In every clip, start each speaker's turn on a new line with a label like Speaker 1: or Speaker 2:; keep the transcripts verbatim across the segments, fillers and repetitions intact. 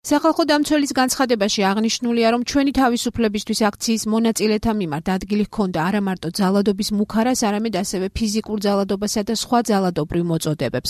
Speaker 1: სახალხო დამცველის განცხადებაში აღნიშნულია, რომ ჩვენი თავისუფლებისთვის აქციის მონაწილეთა მიმართ ადგილი ჰქონდა არა მარტო ძალადობის მუქარას, არამედ ასევე ფიზიკურ ძალადობასა და სხვა ძალადობრივ მოწოდებებს.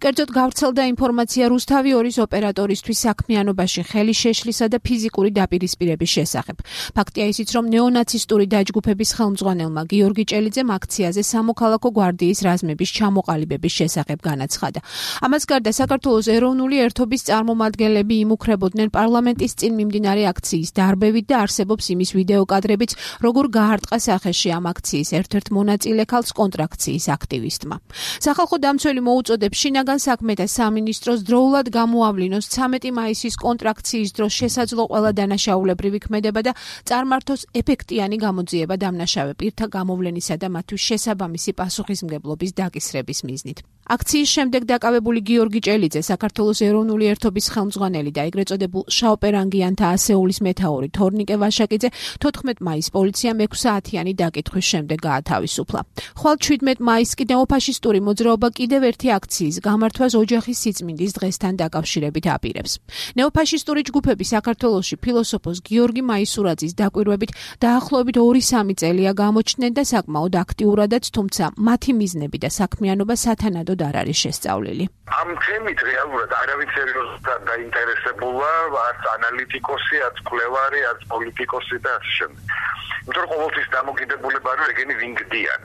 Speaker 1: კერძოდ გავრცელდა ინფორმაცია რუსთავი ორის ოპერატორისთვის საქმიანობაში ხელი შეშლისა და ფიზიკური დაპირისპირების შესახებ. ფაქტია ისიც, რომ ნეონაცისტური დაჯგუფების ხელმძღვანელმა გიორგი ჭელიძემ აქციაზე სამოქალაქო გვარდიის რაზმების ჩამოყალიბების შესახებ განაცხადა. ამას გარდა საქართველოს ეროვნული ერთობის წარმომადგენლები იმუქრებოდნენ პარლამენტის წინ მიმდინარე აქციის დარბევით და არსებობს იმის ვიდეო კადრებიც, როგორ გაარტყა სახეში ამ აქციის ერთ-ერთ მონაწილე ქალს კონტრაქციის აქტივისტმა. სახალხო დამცველი მოუწოდებს შინაგან საქმეთა სამინისტროს დროულად გამოავლინოს ცამეტი მაისის კონტრაქციის დროს შესაძლო ყველა დანაშაულებრივი ქმედება და წარმართოს ეფექტიანი გამოძიება დამნაშავე პირთა გამოვლენისა და მათთვის შესაბამისი პასუხისმგებლობის დაკისრების მიზნით. აქციის შემდეგ დაკავებული გიორგი ჭელიძე, საქართველოს ეროვნული ერთობის ხელმძღვანელი და ეგრეთ წოდებულ შავპერანგიანთა ასეულის მეთაური თორნიკე ვაშაკიძე თოთხმეტ მაისს პოლიციამ ექვსი საათიანი დაკითხვის შემდეგ გაათავისუფლა. ხვალ შვიდმეტ მაისს კი ნეოფაშისტური მოძრაობა კიდევ ერთი აქციის გამართვას ოჯახის სიწმინდის დღესთან დაკავშირებით აპირებს. ნეოფაშისტური ჯგუფები საქართველოში ფილოსოფოს გიორგი მაისურაძის დაკვირვებით დაახლოებით ორი სამი წელია გამოჩნდნენ და საკმაოდ აქტიურადაც, თუმცა მათი მიზნები და საქმიანობა სათანადოდ არ არის შესწავლილი.
Speaker 2: ამ თემით რეალურად არავინ სერიოზულად დაინტერესებულა, არც ანალიტიკოსი, არც მკვლევარი, არც პოლიტიკოსი და ასე შემდეგ. იმიტომ რომ ყოველთვის დამოკიდებულება არის ეგენი ვინგდიან.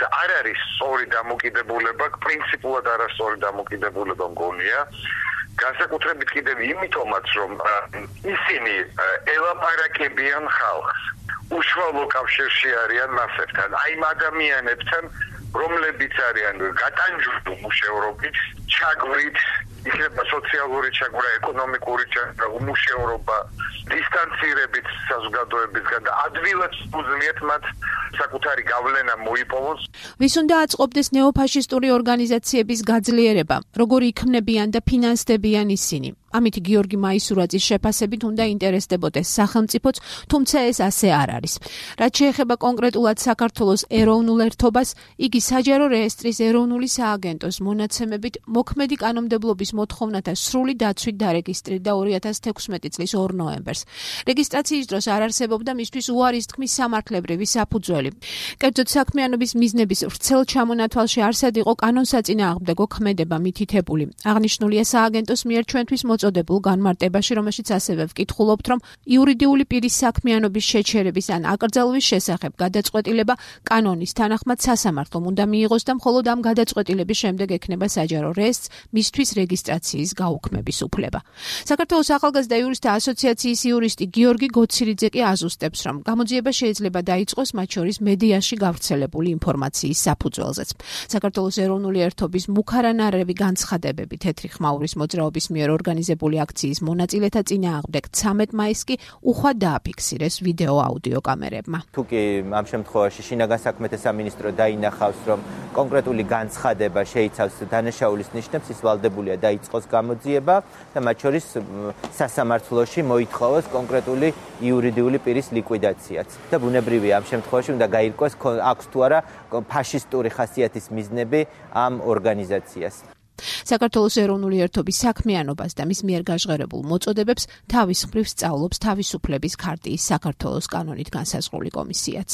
Speaker 2: და არ არის სწორი დამოკიდებულება, პრინციპულად არასწორი დამოკიდებულება მგონია. განსაკუთრებით კიდევ იმიტომაც, რომ ისინი ელაპარაკებიან ხალხს. უშუალო კავშირში არიან მასებთან, აი იმ ადამიანებთან, რომლებიც არიან გატანჯული მუშევრობით, ჩაგვრით, იქნება სოციალური ჩაგვრა, ეკონომიკური ჩაგვრა, უმუშევრობა, დისტანცირებით საზოგადოებისგან და ადვილად უძლიათ მათ საკუთარი გავლენა მოიპოვოს.
Speaker 1: ვის უნდა აწყობდეს ნეოფაშისტური ორგანიზაციების გაძლიერება, როგორ იქმნებიან და ფინანსდებიან ისინი. ამით გიორგი მაისურაძის შეფასებით უნდა ინტერესდებოდეს სახელმწიფოც, თუმცა ეს ასე არ არის. რაც შეეხება კონკრეტულად საქართველოს ეროვნულ ერთობას, იგი საჯარო რეესტრის ეროვნული სააგენტოს მონაცემებით მოქმედი კანონმდებლობის მოთხოვნათა სრული დაცვით დარეგისტრირდა ორი ათას თექვსმეტი წლის ორ ნოემბერს. რეგისტრაციის დროს არ არსებობდა მისთვის უარის თქმის სამართლებრივი საფუძველი. კერძოდ საქმიანობის მიზნების ვრცელ ჩამონათვალში არსად იყო კანონსაწინააღმდეგო ქმედება მითითებული. აღნიშნულია სააგენტოს მიერ ჩვენთვის მოწოდებულ განმარტებაში, რომელშიც ასევე ვკითხულობთ, რომ იურიდიული პირის საქმიანობის შეჩერების ან აკრძალვის შესახებ გადაწყვეტილება კანონის თანახმად სასამართლომ უნდა მიიღოს და მხოლოდ ამ გადაწყვეტილების შემდეგ ექნება საჯარო რეესტრს მისთვის რეგისტრაციის გაუქმების უფლება. საქართველოს ახალგაზრდა იურისტთა ასოციაციის იურისტი გიორგი გოცირიძე კი აზუსტებს, რომ გამოძიება შეიძლება დაიწყოს მათ შორის მედიაში გავრცელებული ინფორმაციის საფუძველზეც. საქართველოს ეროვნული ერთობის მუქარანარევი განცხადებები თეთრი ხმაურის მოძრაობის მიერ ორგანიზებული აქციის მონაწილეთა წინააღმდეგ ცამეტ მაისს კი უხვად დააფიქსირეს ვიდეო აუდიო კამერებმა.
Speaker 3: თუკი ამ შემთხვევაში შინაგან საქმეთა სამინისტრო დაინახავს, რომ კონკრეტული განცხადება შეიცავს დანაშაულის ნიშნებს, ის ვალდებულია დაიწყოს გამოძიება და მათ შორის სასამართლოში მოითხოვოს კონკრეტული იურიდიული პირის ლიკვიდაციაც. და ბუნებრივია ამ შემთხვევაში უნდა გაირკვეს აქვს თუ არა ფაშისტური ხასიათის მიზნები ამ ორგანიზაციას.
Speaker 1: საქართველოს ეროვნული ერთობის საქმიანობას და მის მიერ გაჟღერებულ მოწოდებებს თავის მხრივ სწავლობს თავისუფლების ქარტიის საქართველოს კანონით განსაზღვრული კომისიაც.